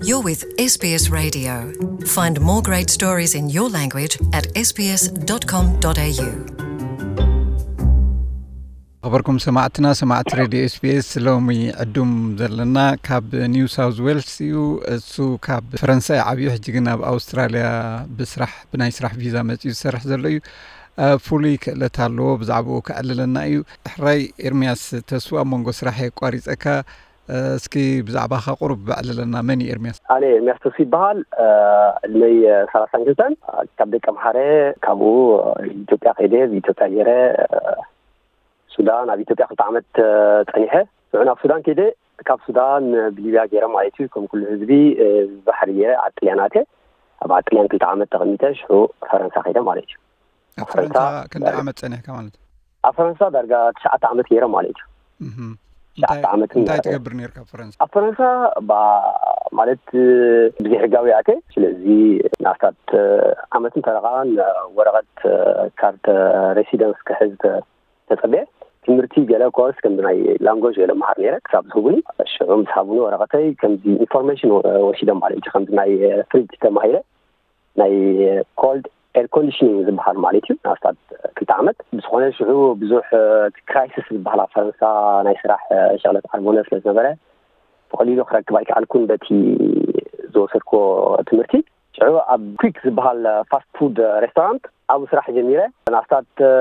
You're with S B S Radio. Find more great stories in your language at S B S dot com dot A U. ኣኽበርኩም ሰማዕትና፣ ሰማዕቲ ሬድዮ ኤስቢኤስ፣ ሎሚ ዕዱም ዘለና ካብ ኒው ሳውዝ ዌልስ እዩ። እሱ ካብ ፈረንሳ እዩ ዓብዩ፣ ሕጂ ግን ኣብ ኣውስትራልያ ብስራሕ፣ ብናይ ስራሕ ቪዛ መፂኡ ዝሰርሕ ዘሎ እዩ። እ፣ ፍሉይ ክእለት ኣለዎ፣ ብዛዕባኡ ከዕልለና እዩ። ሕራይ ኤርሚያስ ተስፉ፣ ኣብ መንጎ ስራሕ የቋሪፀካ። እ፣ እስኪ ብዛዕባኻ ቁሩብ ኣዕልለና። መን እዩ ኤርሚያስ? ኣነ ኤርሚያስ ተስፉ ይበሃል። እ፣ ዕድመይ፣ እ፣ ሰላሳን ክልተን። ካብ ደቀምሓረ፣ ካብኡ፣ እ፣ ኢትዮጵያ ከይደ፣ ብኢትዮጵያ ገይረ፣ እ፣ ሱዳን፣ ኣብ ኢትዮጵያ ክልተ ዓመት፣ እ፣ ጸኒሐ። ሽዑ ናብ ሱዳን ከይደ፣ ካብ ሱዳን፣ እ፣ ብሊብያ ገይረ ማለት እዩ። ከም ኩሉ ህዝቢ፣ እ፣ ባሕሪ ገይረ ዓዲ ጥልያን ኣትየ። ኣብ ዓዲ ጥልያን ክልተ ዓመት ተቐሚጠ፣ ሽዑ ፈረንሳ ከይደ ማለት እዩ። ኣብ ፈረንሳ ፈረንሳ፣ ክንደይ እ፣ ዓመት ጸኒሕካ ማለት እዩ? ኣብ ፈረንሳ ዳርጋ ትሽዓተ ዓመት ገይረ ማለት እዩ። እህ። ትሽዓተ እንታይ፣ ዓመትን እንታይ ትገብር ነርካ ኣብ ፈረንሳ? ኣብ ፈረንሳ፣ ባ-፣ ማለት፣ ብዘይሕጋዊ ኣትየ። ስለዚ ንኣስታት ዓመትን ፈረቓን ወረቐት፣ ካርድ ሬሲደንስ ክሕዝ ተ-፣ ተጸብየ። ትምህርቲ ገለ ኮርስ ከምዚ ናይ ላንጎጅ ገለ መሃር ነይረ ክሳብ ዝህቡኒ። ሽዑ ምስ ሃቡኒ ወረቐተይ ከምዚ ኢንፎርሜሽን ወ-፣ ወሲዶም ማለት እዩ። ከምዚ ናይ ፍሪጅ ተማሂረ ናይ ኮልድ ኤር ኮንዲሽኒንግ ዝበሃል ማለት እዩ። ንኣስታት ክልተ ዓመት። ብዝኾነ ሽዑ ብዙሕ፣ እ፣ ክራይሲስ ዝበሃል ኣብ ፈረንሳ ናይ ስራሕ፣ እ፣ ሸቕለት ዓርቦነ ስለ ዝነበረ ብቐሊሉ ክረክብ ኣይከኣልኩን በቲ ዝወሰድኩዎ ትምህርቲ። ሽዑ ኣብ ኩክ ዝበሃል ፋስት ፉድ ሬስቶራንት ኣብኡ ስራሕ ጀሚረ። ንኣስታት፣ እ፣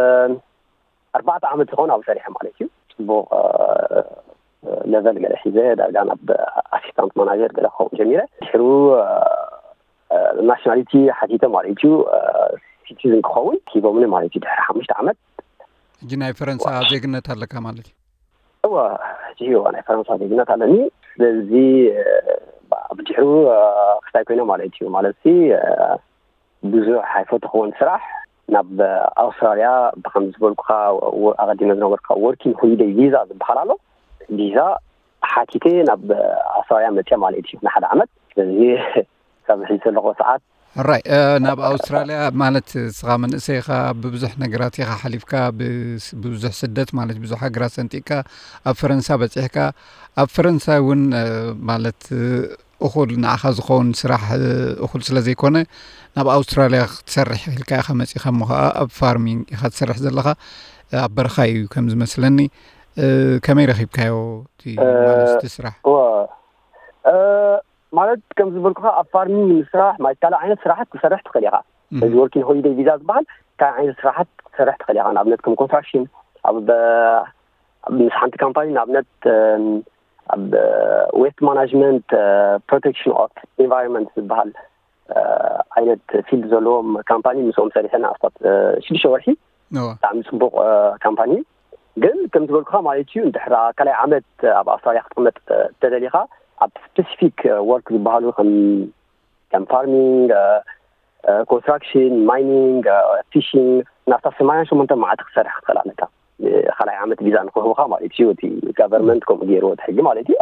ኣርባዕተ ዓመት ዝኸውን ኣብኡ ሰሪሐ ማለት እዩ። ጽቡቕ፣ እ፣ ሌቨል ገለ ሒዘ ዳርጋ ናብ ኣሲስታንት ማናጀር ገለ ክኸውን ጀሚረ። ድሕሩ፣ እ፣ እ፣ ናሽናሊቲ ሓቲተ ማለት እዩ። እ፣ ሲቲዝን ክኸውን ሂቦምኒ ማለት እዩ። ድሕሪ ሓሙሽተ ዓመት። ሕጂ ናይ ፈረንሳ ዋው። ዜግነት ኣለካ ማለት እዩ? እወ፣ ሕጂ እወ፣ ናይ ፈረንሳ ዜግነት ኣለኒ። ስለዚ፣ እ፣ ብ-፣ ብድሕሩ፣ እ፣ ክስታይ ኮይነ ማለት እዩ። ማለት ሲ፣ እ፣ ብዙሕ ኣይፈተኽዎን ስራሕ። ናብ ኣውስትራልያ ብከም ዝበልኩኻ፣ ወ-፣ ኣቐዲመ ዝነበርካ ወርኪንግ ሆሊደይ ቪዛ ዝበሃል ኣሎ። ቪዛ ሓቲተ ናብ ኣውስትራልያ መፅየ ማለት እዩ፣ ንሓደ ዓመት። ስለዚ ካብ ሕጂ ዘለኹ ሰዓት ሕራይ፣ እ፣ ናብ ኣውስትራልያ ማለት እስኻ መንእሰይ ኢኻ፣ ብብዙሕ ነገራት ኢኻ ሓሊፍካ፣ ብስ-፣ ብብዙሕ ስደት ማለት ብዙሕ ሃገራት ሰንጢቕካ ኣብ ፈረንሳ በፂሕካ። ኣብ ፈረንሳ እውን፣ እ፣ ማለት፣ እ፣ እኹል ንዓኻ ዝኸውን ስራሕ፣ እ፣ እኹል ስለ ዘይኮነ ናብ ኣውስትራልያ ክትሰርሕ ኢልካ ኢኻ መፂኻ። እሞ ኸዓ ኣብ ፋርሚንግ ኢኻ ትሰርሕ ዘለኻ፣ እ፣ ኣብ በረኻ እዩ ከም ዝመስለኒ። እ፣ ከመይ ረኺብካዮ እቲ፣ እ፣ ማለት እቲ ስራሕ? እወ፣ እ፣ ማለት ከም ዝበልኩኻ ኣብ ፋርሚንግ ምስራሕ ማለት ካልእ ዓይነት ስራሓት ክሰርሕ ትኽእል ኢኻ። እህ። እዚ ወርኪንግ ሆሊደይ ቪዛ ዝበሃል ካልእ ዓይነት ስራሓት ክሰርሕ ትኽእል ኢኻ። ንኣብነት ከም ኮንስትራክሽን ኣብ፣ ኣብ ምስ ሓንቲ ካምፓኒ ንኣብነት፣ እም፣ ኣብ ዌስት ማናጅመንት፣ እ፣ ፕሮቴክሽን ኦፍ ኢንቫይሮንመንት ዝበሃል፣ እ፣ ዓይነት ፊልድ ዘለዎም ካምፓኒ ምስኦም ሰሪሐ ንኣስታት፣ እ፣ ሽዱሽተ ወርሒ። እወ። ብጣዕሚ ጽቡቕ፣ እ፣ ካምፓኒ እዩ። ግን ከም ዝበልኩኻ ማለት እዩ፣ እንድሕር ካልኣይ ዓመት ኣብ ኣውስትራልያ ክትቕመጥ፣ እ፣ ተደሊኻ ኣብ ስፔሲፊክ፣ እ፣ ወርክ ዝበሃሉ ከም፣ ከም ፋርሚንግ፣ እ፣ እ፣ ኮንስትራክሽን፣ ማይኒንግ፣ እ፣ ፊሽንግ ናብታ ሰማንያን ሸሞንተ መዓልቲ ክትሰርሕ ክትኽእል ኣለካ። እ፣ ካልኣይ ዓመት ቪዛ ንክህቡኻ ማለት እዩ፣ እቲ ጋቨርንመንት ከምኡ ገይርዎ እቲ ሕጊ ማለት እዩ።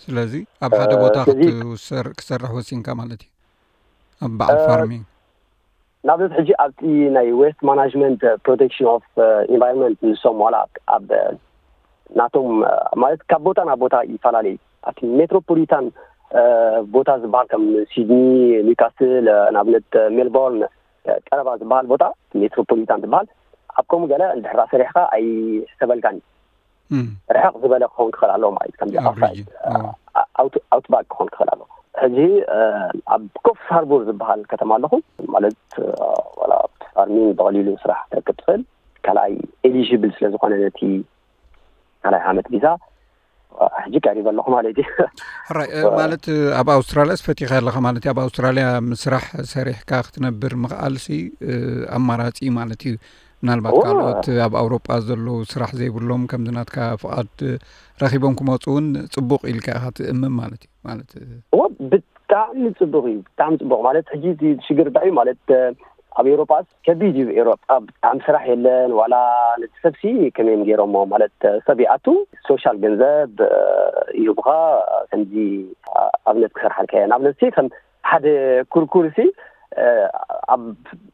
ስለዚ ኣብ ሓደ እ፣ ቦታ ስለዚ ክትውሰር-፣ ክትሰርሕ ወሲንካ ማለት እዩ፣ ኣብ በዓል እ፣ ፋርሚንግ። ንኣብነት ሕጂ ኣብቲ ናይ ዌስት ማናጅመንት ፕሮቴክሽን ኦፍ ኢንቫይሮንመንት ንሶም ዋላ ኣብ ናቶም ማለት ካብ ቦታ ናብ ቦታ ይፈላለዩ። ኣብቲ ሜትሮፖሊታን ቦታ ዝበሃል ከም ሲድኒ፣ ኒውካስል፣ ንኣብነት ሜልቦርን ቀረባ ዝበሃል ቦታ ሜትሮፖሊታን ዝበሃል ኣብ ከምኡ ገለ እንድሕራ ሰሪሕካ ኣይሕሰበልካን እዩ። እም። ርሕቕ ዝበለ ክኸውን ክኽእል ኣለዎ ማለት እዩ። ከምዚ ኣብ ኣውትሳይድ፣ ሪጅን፣ እ፣ ኣዎ። ኣውት-፣ ኣውትባክ ክኸውን ክኽእል ኣለዎ። ሕጂ፣ እ፣ ኣብ ኮፍስ ሃርቦር ዝበሃል ከተማ ኣለኹ። ማለት፣ እ፣ ዋላ ኣብቲ ፋርሚንግ ብቐሊሉ ስራሕ ክትረክብ ትኽእል። ካልኣይ ኤሊጂብል ስለ ዝኾነ ነቲ ካልኣይ ዓመት ቪዛ፣ እ፣ ሕጂ ቀሪበ ኣለኹ ማለት እዩ። ሕራይ፣ እ፣ እ፣ ማለት፣ እ፣ ኣብ ኣውስትራልያስ ፈቲኻ ኣለኻ ማለት እዩ። ኣብ ኣውስትራልያ ምስራሕ ሰሪሕካ ክትነብር ምኽኣልሲ፣ እ፣ ኣማራጺ ማለት እዩ። ምናልባት እወ። ካልኦት ኣብ ኣውሮጳ ዘለዉ ስራሕ ዘይብሎም ከምዚ ናትካ ፍቓድ ረኺቦም ክመጹ እውን ጽቡቕ ኢልካ ኢኻ ትእምም ማለት እዩ። ማለት እወ፣ ብጣዕሚ ጽቡቕ እዩ። ብጣዕሚ ጽቡቕ ማለት ሕጂ እቲ ሽግር እንታይ እዩ ማለት፣ ኣብ ኤውሮጳስ ከቢድ እዩ። ኤውሮጳ ብጣዕሚ ስራሕ የለን። ዋላ ነቲ ሰብሲ ከመይ እዮም ገይሮሞ ማለት ሰብ ይኣቱ፣ ሶሻል ገንዘብ ይህቡኻ፣ ከምዚ ኣብነት ክሰርሓልካ እየ። ንኣብነት ሲ ከም ሓደ ኩርኩር ሲ ኣብ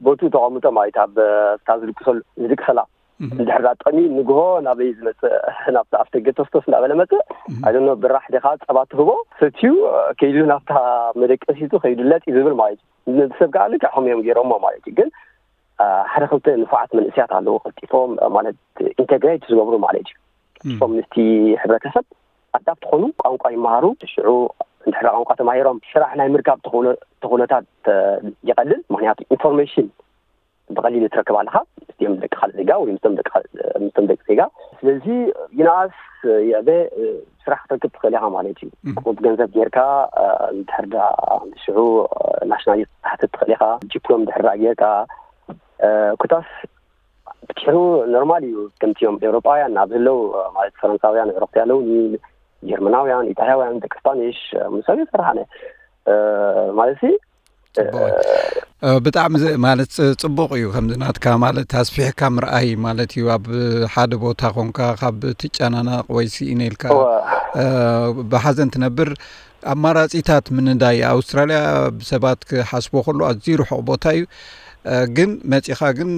ቦትኡ ተቐምጦ ማለት ኣብ እታ ዝድቅሰሉ-፣ ዝድቅሰላ እንድሕር ዳ ጠሚ ንግሆ ናበይ ዝመፅእ ናብቲ ኣፍደገ ተስተስ እንዳበለ መፅእ ኣይደኖ ብራሕ ዲኻ ጸባ ትህቦ ሰትዩ ከይዱ ናብታ መደቀሲቱ ከይዱ ለጥ እዩ ዝብል ማለት እዩ። ንሰብ ከዓ ልክዕ ከም እዮም ገይሮሞ ማለት እዩ። ግን ሓደ ክልተ ንፉዓት መንእስያት ኣለዉ ቀልጢፎም ማለት ኢንተግሬት ዝገብሩ ማለት እዩ። ቀልጢፎም ምስቲ ሕብረተሰብ ኣዳፕት ትኾኑ ቋንቋ ይመሃሩ። ሽዑ እንድሕር ቋንቋ ተማሂሮም ስራሕ ናይ ምርካብ ተኽእሎታት ይቐልል። ምክንያቱ ኢንፎርሜሽን ብቐሊሉ ትረክብ ኣለኻ ምስቲኦም ደቂ ካልእ ዜጋ ወይ ምስቶም ደቂ ምስቶም ደቂ ዜጋ። ስለዚ ይንኣስ ይዕበ ስራሕ ክትረክብ ትኽእል ኢኻ ማለት እዩ። ቁሩብ ገንዘብ ጌርካ እንድሕር ዳ ሽዑ ናሽናሊቲ ክትሓትት ትኽእል ኢኻ። ዲፕሎም ድሕር ዳ ጌርካ ኩታስ ብድሕሩ ኖርማል እዩ። ከምቲኦም ኤውሮጳውያን ኣብ ዘለዉ ማለት ፈረንሳውያን ኤውሮጳ ኣለዉ፣ ጀርመናውያን፣ ኢጣልያውያን፣ ደቂ ስፓኒሽ ምሳሌ ይሰርሓነ ማለት ሲ ብጣዕሚ ማለት ጽቡቕ እዩ። ከምዚ ናትካ ማለት ኣስፊሕካ ምርኣይ ማለት እዩ። ኣብ ሓደ ቦታ ኮንካ ካብ ትጨናነቕ ወይ ስኢነ ኢልካ ብሓዘን ትነብር ኣማራጺታት ምንዳይ ኣውስትራልያ ብሰባት ክሓስቦ ከሎ ኣዝዩ ርሑቕ ቦታ እዩ። ግን መጺኻ ግን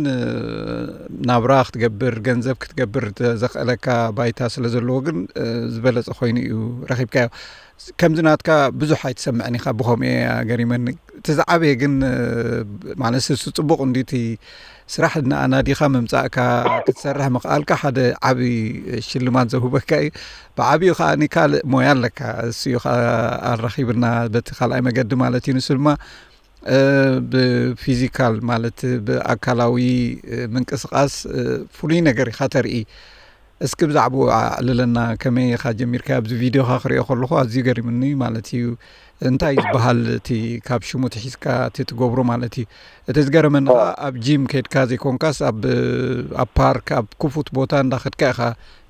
ናብራ ክትገብር ገንዘብ ክትገብር ዘኽእለካ ባይታ ስለ ዘለዎ ግን ዝበለጸ ኮይኑ እዩ ረኺብካዮ። ከምዚ ናትካ ብዙሕ ኣይትሰምዕን ኢኻ ብኸምኡ እየ ገሪመኒ። እቲ ዝዓበየ ግን ማለት እሱ ጽቡቕ እንዲ እቲ ስራሕ እናኣናዲኻ ምምጻእካ ክትሰርሕ ምኽኣልካ ሓደ ዓብዪ ሽልማት ዘውህበካ እዩ። ብዓብዩ ከዓ ካልእ ሞያ ኣለካ እሱ እዩ ከዓ ኣራኺብና በቲ ካልኣይ መገዲ ማለት እዩ። ንሱ ድማ ብፊዚካል ማለት ብኣካላዊ ምንቅስቃስ ፍሉይ ነገር ኢኻ ተርኢ። እስኪ ብዛዕባኡ ኣዕልለና፣ ከመይ ኢኻ ጀሚርካ? ኣብዚ ቪድዮኻ ክሪኦ ከለኹ ኣዝዩ ገሪምኒ ማለት እዩ። እንታይ ዝበሃል እቲ ካብ ሽሙ ትሒዝካ እቲ ትገብሮ ማለት እዩ። እቲ ዝገረመኒ ከዓ ኣብ ጂም ከድካ ዘይኮንካስ ኣብ ኣብ ፓርክ ኣብ ክፉት ቦታ እንዳኸድካ ኢኻ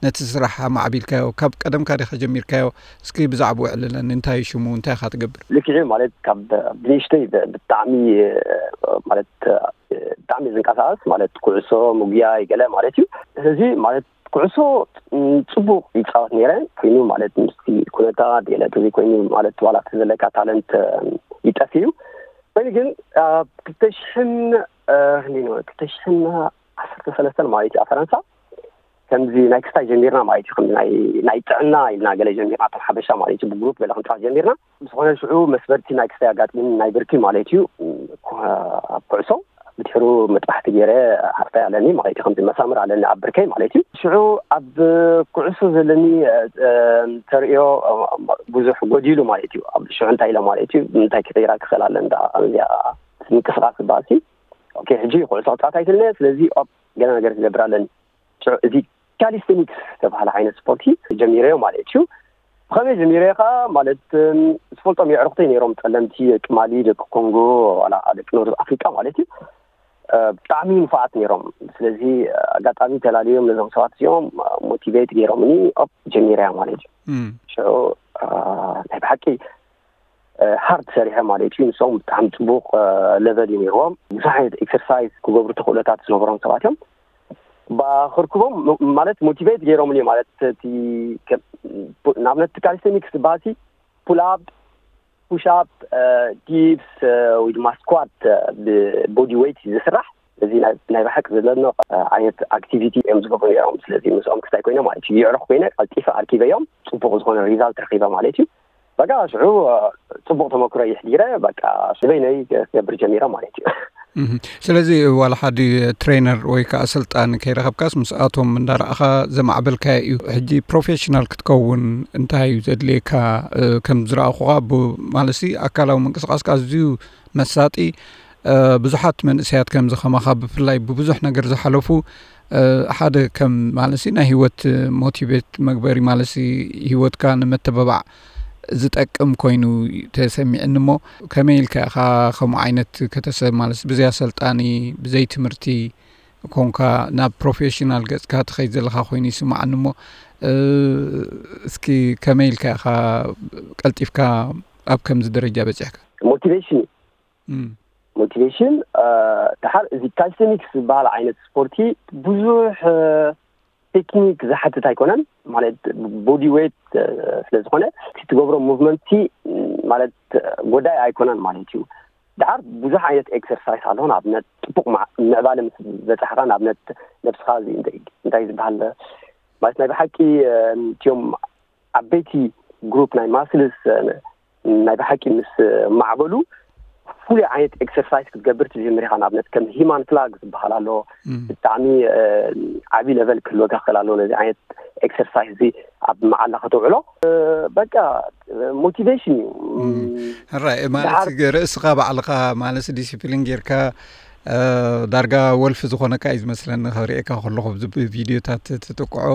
ነቲ ስራሕ ኣማዕቢልካዮ። ካብ ቀደምካ ዲኻ ጀሚርካዮ? እስኪ ብዛዕባኡ ኣዕልለኒ። እንታይ ሽሙ? እንታይ ኢኻ ትገብር? ልክዕ ማለት ካብ ብንእሽተይ ብጣዕሚ ማለት ብጣዕሚ ዝንቀሳቀስ ማለት ኩዕሶ ምጉያይ ገለ ማለት እዩ። ስለዚ ማለት ኩዕሶ ጽቡቅ ይጻወት ነይረ ኮይኑ ማለት ምስቲ ኩነታት ገለ ተዘይኮይኑ ማለት ዋላ እቲ ዘለካ ታለንት ይጠፍ እዩ። ኮይኑ ግን ኣብ ክልተ ሽሕን ክንደይ ነው ክልተ ሽሕን ዓሰርተ ሰለስተን ማለት እዩ ኣብ ፈረንሳ ከምዚ ናይ ክስታይ ጀሚርና ማለት እዩ። ከምዚ ናይ ናይ ጥዕና ኢልና ገለ ጀሚርና እቶም ሓበሻ ማለት እዩ ብግሩፕ ገለ ክንጻወት ጀሚርና። ዝኾነ ሽዑ መስበርቲ ናይ ክስታይ ኣጋጢሙ ናይ ብርኪ ማለት እዩ። ኣብ ኩዕሶ ብድሕሩ መጥባሕቲ ገይረ ሓፍታይ ኣለኒ ማለት እዩ። ከምዚ መሳምር ኣለኒ ኣብ ብርከይ ማለት እዩ። ሽዑ ኣብ ኩዕሶ ዘለኒ ተርእዮ ብዙሕ ጎዲሉ ማለት እዩ። ኣብ ሽዑ እንታይ ኢለ ማለት እዩ እንታይ ክቕይራ ክኽእል ኣለ እንዳ እዚኣ ምንቅስቃስ ዝበሃል ሲ ኦኬ ሕጂ ኩዕሶ ክፃወት ኣይክእልን እየ። ስለዚ ኦፕ ገለ ነገር ክገብር ኣለኒ። ሽዑ እዚ ካሊስቴኒክስ ዝተባሃለ ዓይነት ስፖርቲ ጀሚረዮ ማለት እዩ። ብኸመይ ጀሚረዮ ከዓ ማለት ዝፈልጦም የዕሩኽተይ ነይሮም ፀለምቲ ደቂ ማሊ ደቂ ኮንጎ ዋላ ደቂ ኖርዝ ኣፍሪቃ ማለት እዩ። ብጣዕሚ ንፉዓት ነይሮም። ስለዚ ኣጋጣሚ ተላልዮም ነዞም ሰባት እዚኦም ሞቲቬት ገይሮምኒ ኦፕ ጀሚረያ ማለት እዩ። ሽዑ ናይ ብሓቂ ሃርድ ሰሪሐ ማለት እዩ። ንሶም ብጣዕሚ ፅቡቕ ለቨል እዩ ነይርዎም። ብዙሕ ዓይነት ኤክሰርሳይዝ ክገብሩ ተኽእሎታት ዝነበሮም ሰባት እዮም። ክርክቦም ማለት ሞቲቬት ገይሮምኒ ማለት እቲ ንኣብነት ካሊስቴኒክስ ዝበሃል ሲ ፑል ኣፕ፣ ፑሽ ኣፕ፣ ዲፕስ ወይ ድማ ስኳት ብቦዲ ዌይት እዩ ዝስራሕ። እዚ ናይ ብሓቂ ዘለና ዓይነት ኣክቲቪቲ እዮም ዝገብሩ ነይሮም። ስለዚ ምስኦም ክስታይ ኮይነ ማለት እዩ የዕሩኽ ኮይነ ቀልጢፈ ኣርኪበዮም ፅቡቕ ዝኾነ ሪዛልት ረኺበ ማለት እዩ። በቃ ሽዑ ፅቡቕ ተመክሮ የሕዲረ በቃ ንበይነይ ክገብር ጀሚረ ማለት እዩ። ስለዚ ዋላ ሓዲ ትሬነር ወይ ከዓ ኣሰልጣኒ ከይረኸብካስ ምስኣቶም እንዳረኣኻ ዘማዕበልካዮ እዩ። ሕጂ ፕሮፌሽናል ክትከውን እንታይ እዩ ዘድልየካ? ከም ዝረኣኹኻ ማለትሲ ኣካላዊ ምንቅስቃስካ ኣዝዩ መሳጢ። ብዙሓት መንእሰያት ከምዚ ከማኻ ብፍላይ ብብዙሕ ነገር ዝሓለፉ ሓደ ከም ማለት ናይ ህይወት ሞቲቬት መግበሪ ማለት ህይወትካ ንመተባባዕ ዝጠቅም ኮይኑ ተሰሚዕኒ እሞ ከመይ ኢልካ ኢኻ ከምኡ ዓይነት ከተሰብ ማለት ብዘይ ኣሰልጣኒ ብዘይ ትምህርቲ ኮንካ ናብ ፕሮፌሽናል ገጽካ ትኸይድ ዘለኻ ኮይኑ ይስማዓኒ እሞ እስኪ ከመይ ኢልካ ኢኻ ቀልጢፍካ ኣብ ከምዚ ደረጃ በጺሕካ? ሞቲቬሽን ሞቲቬሽን ድሓር እዚ ካልሲኒክስ ዝበሃል ዓይነት ስፖርቲ ብዙሕ ቴክኒክ ዝሓትት ኣይኮነን። ማለት ቦዲ ዌት ስለ ዝኾነ እቲ ትገብሮ ሙቭመንት ማለት ጎዳይ ኣይኮነን ማለት እዩ። ድሓር ብዙሕ ዓይነት ኤክሰርሳይስ ኣሎ። ንኣብነት ጽቡቕ ምዕባለ ምስ በጻሕኻ፣ ንኣብነት ነብስኻ እዚ እንታይ ዝበሃል ማለት ናይ ብሓቂ እቲኦም ዓበይቲ ግሩፕ ናይ ማስልስ ናይ ብሓቂ ምስ ማዕበሉ ፍሉይ ዓይነት ኤክሰርሳይዝ ክትገብር ትጀምር ኢኻ። ንኣብነት ከም ሂማን ፍላግ ዝበሃል ኣሎ። ብጣዕሚ ዓብዪ ለቨል ክህልወካ ክእል ኣሎ። ነዚ ዓይነት ኤክሰርሳይዝ እዚ ኣብ መዓላ ከተውዕሎ በቃ ሞቲቬሽን እዩ። ሕራይ ማለት ርእስኻ ባዕልኻ ማለት ዲሲፕሊን ጌርካ ዳርጋ ወልፊ ዝኾነካ እዩ ዝመስለኒ ክሪኤካ ከለኹ ቪድዮታት ትጥቅዖ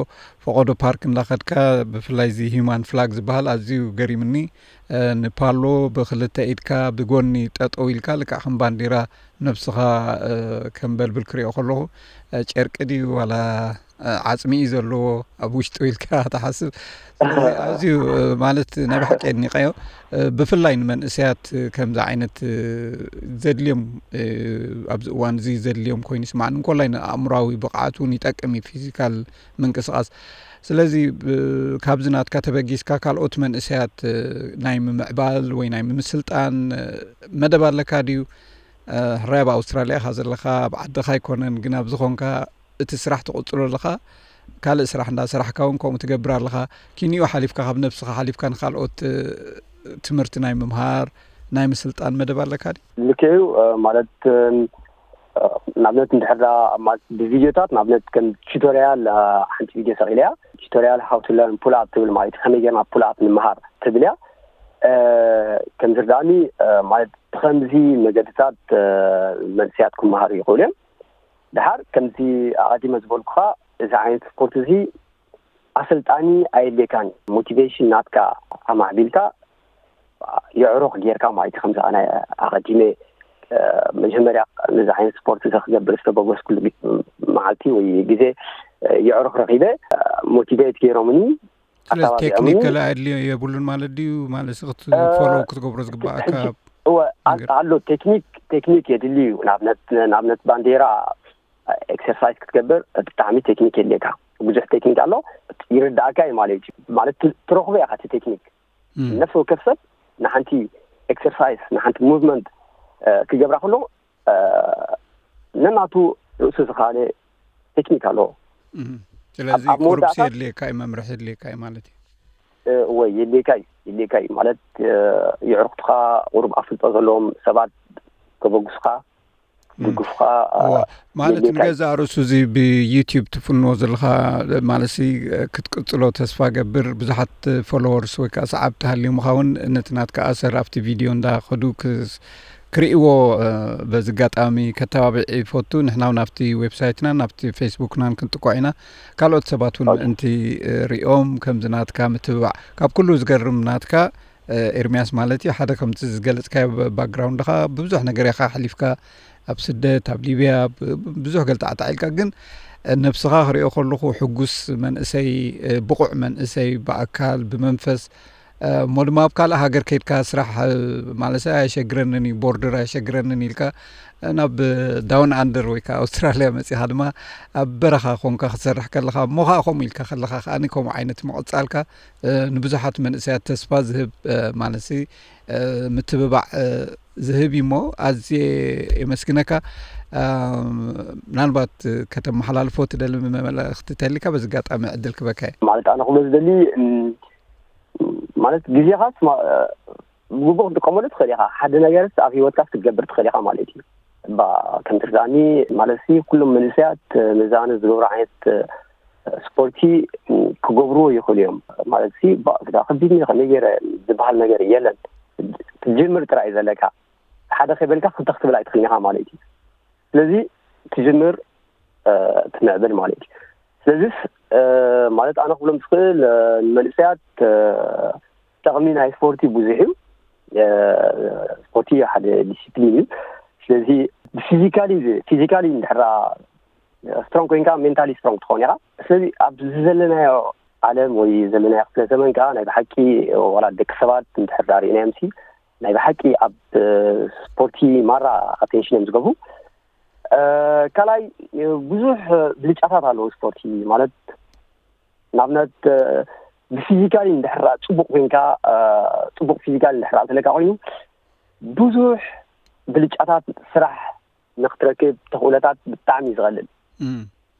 ፈቐዶ ፓርክ እንዳኸድካ ብፍላይ እዚ ሂማን ፍላግ ዝበሃል ኣዝዩ ገሪምኒ። ንፓሎ ብክልተ ኢድካ ብጎኒ ጠጠው ኢልካ ልክዕ ከም ባንዲራ ነብስኻ ከም በልብል ክሪኦ ከለኹ ጨርቂ ድዩ ዋላ ዓጽሚ እዩ ዘለዎ ኣብ ውሽጡ ኢልካ ትሓስብ። ስለዚ ኣዝዩ ማለት ናይ ብሓቂ የድኒቐዮ። ብፍላይ ንመንእሰያት ከምዚ ዓይነት ዘድልዮም ኣብዚ እዋን እዚ ዘድልዮም ኮይኑ ይስማዕኒ። እንኮላይ ንኣእምራዊ ብቕዓት እውን ይጠቅም እዩ ፊዚካል ምንቅስቓስ። ስለዚ ካብዚ ናትካ ተበጊስካ ካልኦት መንእሰያት ናይ ምምዕባል ወይ ናይ ምምስልጣን መደብ ኣለካ ድዩ? ሕራይ ኣብ ኣውስትራልያ ኢኻ ዘለኻ፣ ኣብ ዓድኻ ኣይኮነን፣ ግን ኣብዚ ኾንካ እቲ ስራሕ ትቕጽሎ ኣለኻ፣ ካልእ ስራሕ እንዳሰራሕካ እውን ከምኡ ትገብር ኣለኻ። ኪንኡ ሓሊፍካ ካብ ነብስኻ ሓሊፍካ ንኻልኦት ትምህርቲ ናይ ምምሃር ናይ ምስልጣን መደብ ኣለካ ድዩ? ልክዕ እዩ። ማለት ንኣብነት እንድሕር ማለት ብቪድዮታት ንኣብነት ከም ቱቶሪያል ሓንቲ ቪድዮ ሰቂለ እያ። ቱቶሪያል how to learn pull up ትብል ማለት እዩ። ከመይ ጌርና ፑል ኣፕ ንምሃር ትብል እያ። ከም ዝርዳእኒ ማለት ብኸምዚ መገድታት መንስያት ክመሃሩ ይኽእሉ እዮም። ድሓር ከምዚ ኣቐዲመ ዝበልኩኻ እዚ ዓይነት ስፖርት እዚ ኣሰልጣኒ ኣየድልየካን። ሞቲቬሽን ናትካ ኣማዕቢልካ የዕሩኽ ጌርካ ማለት እዩ። ከምዚ ኣነ ኣቐዲመ መጀመርያ ነዚ ዓይነት ስፖርት እዚ ክገብር ዝተበገስኩሉ መዓልቲ ወይ ግዜ የዕሩኽ ረኺበ ሞቲቬት ገይሮምኒ ስለዚ ቴክኒክ ገለ ኣድልዮ የብሉን ማለት ድዩ? ማለት ክትፎሎ ክትገብሮ ዝግባኣካ ኣሎ። ቴክኒክ ቴክኒክ የድሊ እዩ። ንኣብነት ባንዴራ ኤክሰርሳይዝ ክትገብር ብጣዕሚ ቴክኒክ የድልየካ። ብዙሕ ቴክኒክ ኣሎ። ይርዳእካ እዩ ማለት እዩ። ማለት ትረኽቦ ኢኻ እቲ ቴክኒክ። ነፍሲ ወከፍ ሰብ ንሓንቲ ኤክሰርሳይዝ ንሓንቲ ሙቭመንት ክገብራ ከሎ ነናቱ ርእሱ ዝኻለ ቴክኒክ ኣለዎ። ስለዚ ቁሩብሲ የድልየካ እዩ፣ መምርሒ የድልየካ እዩ ማለት እዩ። ወይ የድልየካ እዩ፣ የድልየካ እዩ ማለት የዕሩኽትኻ ቁሩብ ኣፍልጦ ዘለዎም ሰባት ከበግሱኻ ድግፉኻ ማለት ንገዛእ ርእሱ እዚ ብዩቲዩብ ትፍንዎ ዘለኻ ማለት ክትቅጽሎ ተስፋ ገብር። ብዙሓት ፎሎወርስ ወይ ከዓ ሰዓብቲ ሃልዩ ምኻውን ነቲ ናትካ ኣሰር ኣብቲ ቪድዮ እንዳኸዱ ክርእይዎ በዚ ኣጋጣሚ ከተባብዕ ይፈቱ። ንሕና እውን ኣብቲ ዌብሳይትናን ኣብቲ ፌስቡክናን ክንጥቆዕ ኢና። ካልኦት ሰባት እውን ምእንቲ ሪኦም ከምዚ ናትካ ምትብባዕ ካብ ኩሉ ዝገርም ናትካ ኤርሚያስ ማለት እዩ ሓደ ከምቲ ዝገለጽካዮ ባክግራውንድኻ ብብዙሕ ነገር ኢኻ ኣሕሊፍካ ኣብ ስደት ኣብ ሊብያ ብዙሕ ገልጣዕጣዕ ኢልካ ግን ነብስኻ ክሪኦ ከለኹ ሕጉስ መንእሰይ ብቑዕ መንእሰይ ብኣካል ብመንፈስ እሞ ድማ ኣብ ካልእ ሃገር ከይድካ ስራሕ ማለት ኣየሸግረንን እዩ ቦርደር ኣየሸግረንን ኢልካ ናብ ዳውን ኣንደር ወይ ከዓ ኣውስትራልያ መፂኻ ድማ ኣብ በረኻ ኮንካ ክትሰርሕ ከለኻ እሞ ከዓ ከምኡ ኢልካ ከለኻ ከዓኒ ከምኡ ዓይነት ምቕፃልካ ንብዙሓት መንእሰያት ተስፋ ዝህብ ማለት ምትብባዕ ዝህብ እሞ ኣዝየ የመስግነካ። ምናልባት ከተመሓላልፎ ትደሊ መልእኽቲ ተሊካ በዚ ኣጋጣሚ ዕድል ክበካ እየ። ማለት ኣነ ክብሎ ዝደሊ ማለት ግዜኻስ ብግቡእ ክትጥቀመሉ ትኽእል ኢኻ። ሓደ ነገርስ ኣብ ሂወትካ ክትገብር ትኽእል ኢኻ ማለት እዩ። ከም ትርዳእኒ ማለት ኩሎም መንእሰያት ነዚ ኣነ ዝገብሮ ዓይነት ስፖርቲ ክገብርዎ ይኽእሉ እዮም ማለት ሲ ከቢድ ከመይ ገይረ ዝበሃል ነገር የለን። ትጅምር ጥራይ ዘለካ ሓደ ከይበልካ ክልተ ክትብል ኣይትኽእልን ኢኻ ማለት እዩ። ስለዚ ትጅምር ትምዕብል ማለት እዩ። ስለዚስ ማለት ኣነ ክብሎም ዝኽእል ንመንእሰያት ጠቕሚ ናይ ስፖርቲ ብዙሕ እዩ። ስፖርቲ ሓደ ዲሲፕሊን እዩ። ስለዚ ብፊዚካሊ ፊዚካሊ እንድሕራ ስትሮንግ ኮይንካ ሜንታሊ ስትሮንግ ትኸውን ኢኻ። ስለዚ ኣብዚ ዘለናዮ ዓለም ወይ ዘለናዮ ክፍለ ዘመን ከዓ ናይ ብሓቂ ዋላ ደቂ ሰባት እንድሕር ዳሪእናዮም ሲ ናይ ብሓቂ ኣብ ስፖርቲ ማራ ኣቴንሽን እዮም ዝገብሩ። ካልኣይ ብዙሕ ብልጫታት ኣለዉ ስፖርቲ ማለት ንኣብነት ብፊዚካሊ እንድሕራ ፅቡቅ ኮይንካ ፅቡቅ ፊዚካሊ እንድሕራ ዘለካ ኮይኑ ብዙሕ ብልጫታት ስራሕ ንክትረክብ ተኽእሎታት ብጣዕሚ እዩ ዝቐልል።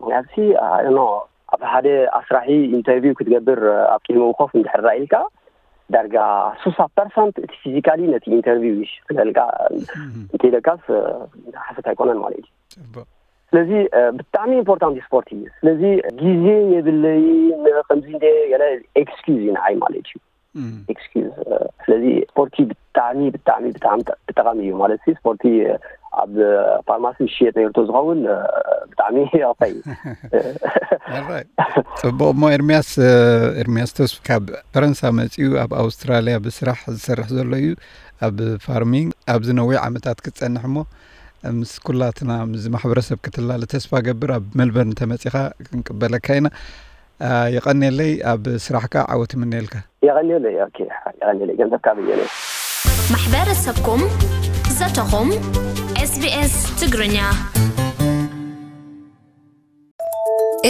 ምክንያቱ ሲ ኖ ኣብ ሓደ ኣስራሒ ኢንተርቪው ክትገብር ኣብ ቅድሚ ኮፍ እንድሕር ኢልካ ዳርጋ ስሳ ፐርሰንት እቲ ፊዚካሊ ነቲ ኢንተርቪው ይሽፍነልካ እንተኢለካስ ሓሰት ኣይኮነን ማለት እዩ። ስለዚ ብጣዕሚ ኢምፖርታንት ስፖርት እዩ። ስለዚ ግዜ የብለይ ከምዚ እንደ ገለ ኤክስኪዝ እዩ ንዓይ ማለት እዩ። ኤክስኪዝ ስለዚ ስፖርቲ ብጣዕሚ ብጣዕሚ ብጣዕሚ ጠቃሚ እዩ ማለት ሲ ስፖርቲ ኣብ ፋርማሲ ዝሽየጥ ነርቶ ዝኸውን ብጣዕሚ ይቕፈይ። ጽቡቅ እሞ ኤርሚያስ ኤርሚያስ ተስፉ ካብ ፈረንሳ መጺኡ ኣብ ኣውስትራልያ ብስራሕ ዝሰርሕ ዘሎ እዩ። ኣብ ፋርሚንግ ኣብዚ ነዊሕ ዓመታት ክትጸንሕ እሞ ምስ ኩላትና ምስ ማሕበረሰብ ክትላለ ተስፋ ገብር። ኣብ ሜልበርን ተመጺኻ ክንቅበለካ ኢና። የቐንየለይ። ኣብ ስራሕካ ዓወት ይምነየልካ። የቐንየለይ። ኦኬ፣ የቐንየለይ። ገንዘብ ካብ እየለይ። ማሕበረሰብኩም ዘተኹም SBS ትግርኛ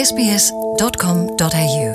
sbs.com.au